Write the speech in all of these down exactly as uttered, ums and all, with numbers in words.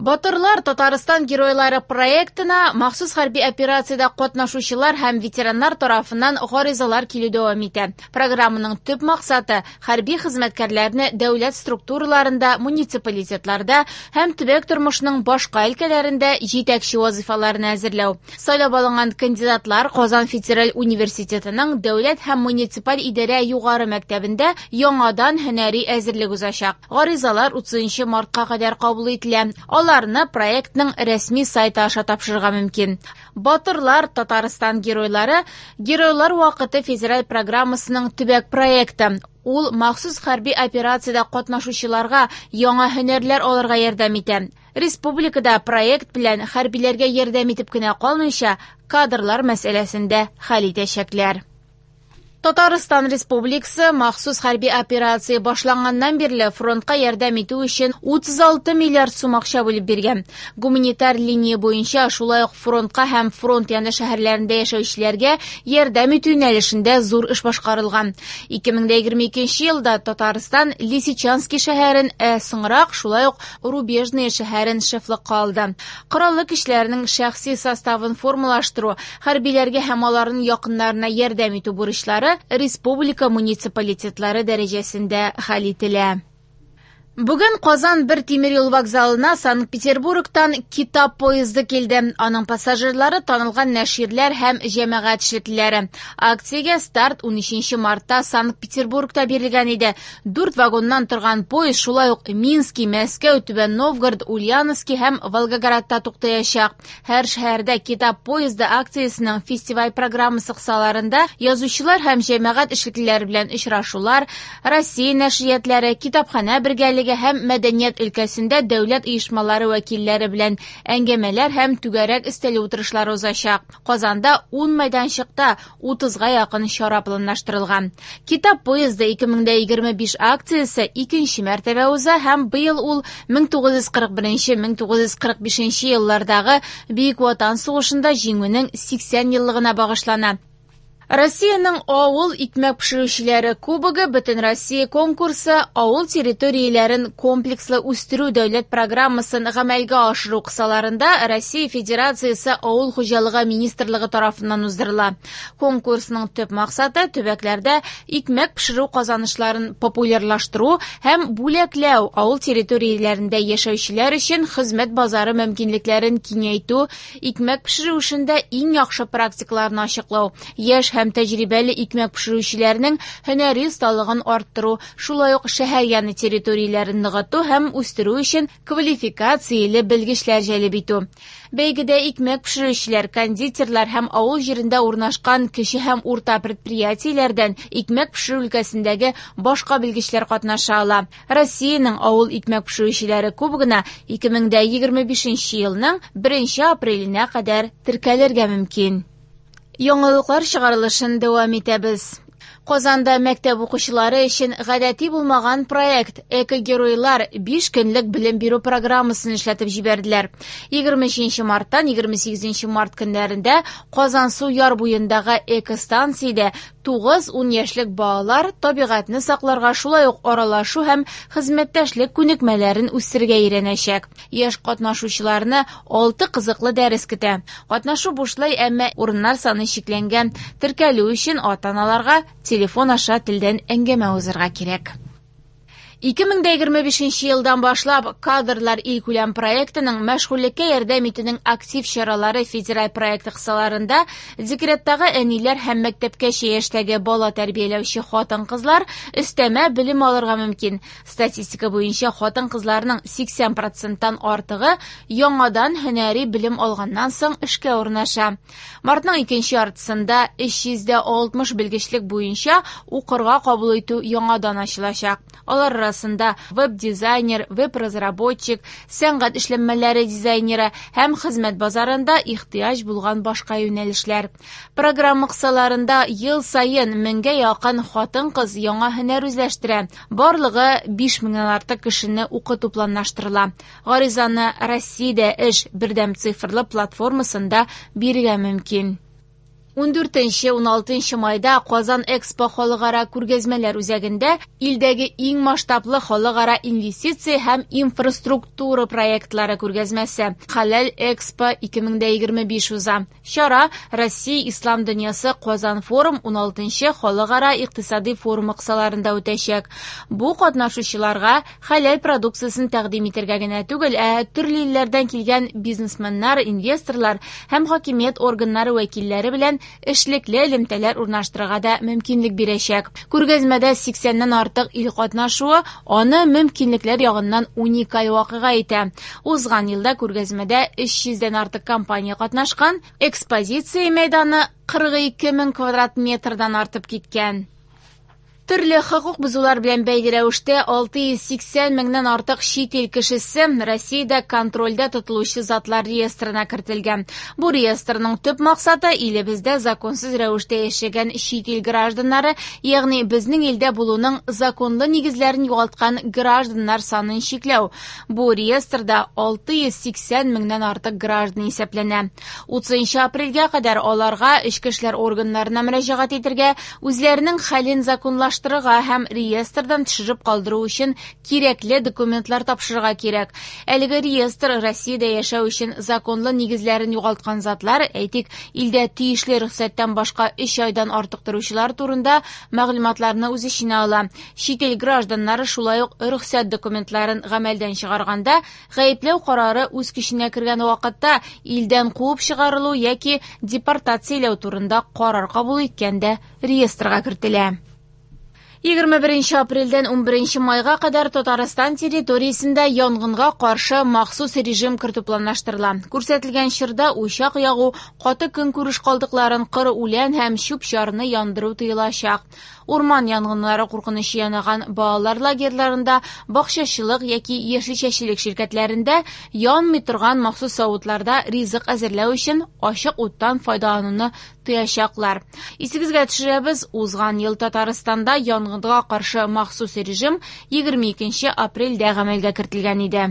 Батырлар Татарстан геройлары проектына махсус хәрби операциядә катнашучылар һәм ветераннар тарафыннан гаризалар килү дәвам итә. Программаның төп максаты хәрби хезмәткәрләрне дәүләт структураларында, муниципалитетларда һәм төбәк тормышының башка өлкәләрендә җитәкче вазифаларына әзерләү. Сайлап алынган кандидатлар Казан федераль университетының дәүләт һәм муниципаль идарә югары мәктәбендә яңадан һөнәри әзерлек узачак. Гаризалар утызынчы мартка кадәр кабул ителә. Аларны проектның рәсми сайты аша тапшырырга мөмкин. Батырлар Татарстан геройлары Геройлар вакыты федераль программасының төбәк проекты. Ул махсус хәрби операциядә катнашучыларга яңа һөнәрләр алырга ярдәм итә. Республикада проект белән хәрбиләргә ярдәм итеп кенә калмыйча, кадрлар мәсьәләсен дә хәл итәчәкләр. Татарстан Республикасы махсус хәрби операция башланганнан бирле фронтка ярдәм итү өчен утыз алты миллиард сум акча бүлеп биргән. Гуманитар линия буенча шулай ук фронтка һәм фронт яны шәһәрләрендә яшәүчеләргә ярдәм итү юнәлешендә зур эш башкарылган. ике мең егерме икенче елда Татарстан Лисичанский шәһәрен, ә соңрак шулай ук Рубежное шәһәрен шефлыкка алды. Кораллы көчләрнең шәхси составын формалаштыру, хәрбиләргә һәм аларның якыннарына ярдәм итү бурычлары республика муниципалитетлары дәрәҗәсендә хәл ителә. Бүген Казан бер тимер юл вокзалына Санкт-Петербургтан китап поезды килде. Аның пассажирлары танылган нәширләр һәм җәмәгать эшлеклеләре. Акциягә старт унөченче мартта Санкт-Петербургта бирелгән иде. Дүрт вагоннан торган поезд шулай ук Минский, Мәскәү, Түбән Новгород, Ульяновский һәм Волгоградта туктаячак. Һәр шәһәрдә китап поезды акциясенең фестиваль программасы кысаларында язучылар һәм җәмәгать эшлеклеләре белән очрашулар, Россия нәшриятлары, китапханә бергәлеге һәм мәдәният өлкәсендә дәүләт оешмалары вәкилләре белән әңгәмәләр һәм түгәрәк өстәле утырышлары узачак. Казанда ун мәйданчыкта утызга якын чара планлаштырылган. Китап поезды ике мең егерме биш акциясе икенче мәртәбә уза һәм быел ул мең тугыз йөз кырык беренче мең тугыз йөз кырык бишенче еллардагы Бөек Ватан сугышында җиңүнең сиксән еллыгына багышлана. Россиянең авыл икмәк пешерүчеләре кубогы Бөтен Россия конкурсы авыл территорияләрен комплекслы үстерү дәүләт программасын гамәлгә ашыру кысаларында Россия Федерациясе Авыл хуҗалыгы министрлыгы тарафыннан уздырыла. Конкурсның төп максаты төбәкләрдә икмәк пешерү казанышларын популярлаштыру һәм бүләкләү, авыл территорияләрендә яшәүчеләр өчен хезмәт базары мөмкинлекләрен киңәйтү, икмәк пешерү эшендә иң яхшы практикаларны ачыклау, яшь һәм тәҗрибәле икмәк пешерүчеләрнең һөнәри осталыгын арттыру, шулай ук шәһәр яны территорияләрен ныгыту һәм үстерү өчен квалификацияле белгечләр җәлеп итү. Бәйгедә икмәк пешерүчеләр, кондитерлар һәм авыл җирендә урнашкан кече һәм урта предприятиеләрдән икмәк пешерү өлкәсендәге башка белгечләр катнаша ала. Россиянең авыл икмәк пешерүчеләре кубогына ике мең егерме бишенче елның беренче апреленә кадәр теркәлергә мөмкин. Яңалыклар чыгарылышын дәвам итәбез. Казанда мәктәп укучылары өчен гадәти булмаган проект Эко-геройлар биш көнлек белем бирү программасын эшләтеп җибәрделәр. егерме өченче марттан егерме сигезенче март көннәрендә Казансу яр буендагы экостанциядә тугыз-ун яшьлек балалар табигатьне сакларга, шулай ук аралашу һәм хезмәттәшлек күнекмәләрен үстерергә өйрәнәчәк. Яшь катнашучыларны алты кызыклы дәрес көтә. Катнашу бушлай, әмма урыннар саны чикләнгән. Теркәлү өчен ата-аналарга телефон аша телдән әңгәмә узырга кирәк. Ике мең егерме бишенче елдан башлап кадрлар илкүләм проектының мәшгульлеккә ярдәм итүнең актив чаралары федераль проекты кысаларында декреттагы әниләр һәм мәктәпкәчә яшьтәге бала тәрбияләүче хатын-кызлар өстәмә белем алырга мөмкин. Статистика буенча хатын-кызларның сиксән проценттан артыгы яңадан һөнәри белем алганнан соң эшкә урнаша. Мартның икенче яртысында өч йөз дә алтмыш белгечлек буенча укырга кабул итү яңадан ачылачак. Алар арасында веб-дизайнер, веб-разработчик, сәнгать эшләнмәләре дизайнеры һәм хезмәт базарында ихтыяҗ булган башка юнәлешләр. Программа кысаларында ел саен меңгә якын хатын-кыз яңа һөнәр үзләштерә. Барлыгы биш меңнән артык кешене укыту планлаштырыла. Гаризаны Россиядә эш бердәм цифрлы платформасында бирергә мөмкин. Ундүртенче-уналтынчы майда Казан Экспо халыкара күргәзмәләр үзәгендә илдәге иң масштаблы халыкара инвестиция һәм инфраструктура проектлары күргәзмәсе Хәләл Экспо ике мең егерме биш уза. Чара Россия Ислам дөньясы Казан форум уналтынчы халыкара икътисади форумы кысаларында үтәчәк. Бу катнашучыларга хәләл продукциясен тәкъдим итәргә генә түгел, ә төрле илләрдән килгән бизнесменнар, инвесторлар һәм хакимият органнары вәкилләре белән эшлекле элемтәләр урнаштырырга да мөмкинлек бирәчәк. Күргәзмәдә сиксәннән артык ил катнашуы аны мөмкинлекләр ягыннан уникаль вакыйга итә. Узган елда күргәзмәдә өч йөздән артык компания катнашкан, экспозиция мәйданы кырык ике мең квадрат метрдан артып киткән. Төрле хокук бозулар белән бәйле рәвештә алты йөз сиксән меңнән артык чит ил кешесе Россиядә контрольдә тотылучы затлар реестрына кертелгән. Бу реестрның төп максаты илебездә законсыз рәвештә яшәгән чит ил гражданнары, ягъни безнең илдә булуның законлы нигезләрен югалткан гражданнар санын чикләү. Бу реестрда алты йөз сиксән меңнән артык граждан исәпләнә. Утызынчы апрельгә кадәр аларга эчке эшләр органнарына мөрәҗәгать итәргә, үзләренең хәлен законлаштырырга һәм реестрдан төшереп калдыру өчен кирәкле документлар тапшырырга кирәк. Әлеге реестр Россиядә яшәү өчен законлы нигезләрен югалткан затлар, әйтик, илдә тиешле рөхсәттән башка өч айдан артык торучылар турында мәгълүматларны үз эченә ала. Чит ил гражданнары шулай ук рөхсәт документларын гамәлдән чыгарганда, гаепләү карары үз көченә кергән вакытта илдән куып чыгарылу яки депортацияләү турында карар кабул иткәндә реестрга кертелә. Егерме беренче апрельдән унберенче майга кадәр Татарстан территориясендә янгынга каршы махсус режим кертү планлаштырыла. Күрсәтелгән чорда учак ягу, каты көнкүреш калдыкларын, кыр үлән һәм чүп-чарны яндыру тыелачак. Урман янгыннары куркынычы янаган балалар лагерьларында, бакчачылык яки яшелчәчелек ширкәтләрендә янмый торган махсус савытларда ризык әзерләү өчен ачык уттан файдалануны тыячаклар. Исегезгә төшерәбез, узган ел Татарстанда янгынга каршы махсус режим егерме икенче апрельдә гамәлгә кертелгән иде.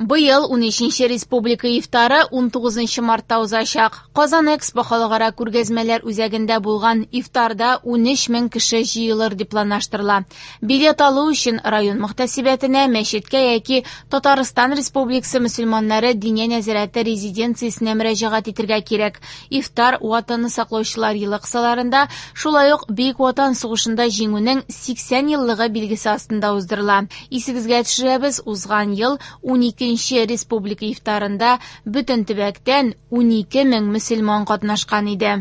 Быел унөченче республика ифтары унтугызынчы мартта узачак. Казан Экспо халыкара күргәзмәләр үзәгендә булган ифтарда унөч мең кеше җыелыр дип планлаштырыла. Билет алу өчен район мөхтәсибәтенә, мәчеткә яки Татарстан Республикасы мөселманнары диния нәзарәте резиденциясенә мөрәҗәгать итәргә кирәк. Ифтар Ватанны саклаучылар елы кысаларында, шулай ук Бөек Ватан сугышында җиңүнең сиксән еллыгы билгесе астында уздырыла. Исегезгә төшерәбез, узган ел уникенче республика ифтарында бөтен төбәктән унике мең мөселман катнашкан иде.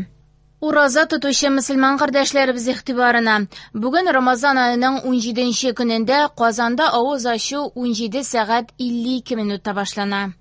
Ураза тотучы мөселман кардәшләребез игътибарына. Бүген Рамазан аеның унҗиденче көнендә Казанда авыз ачу унҗиде сәгать илле ике минутта башлана.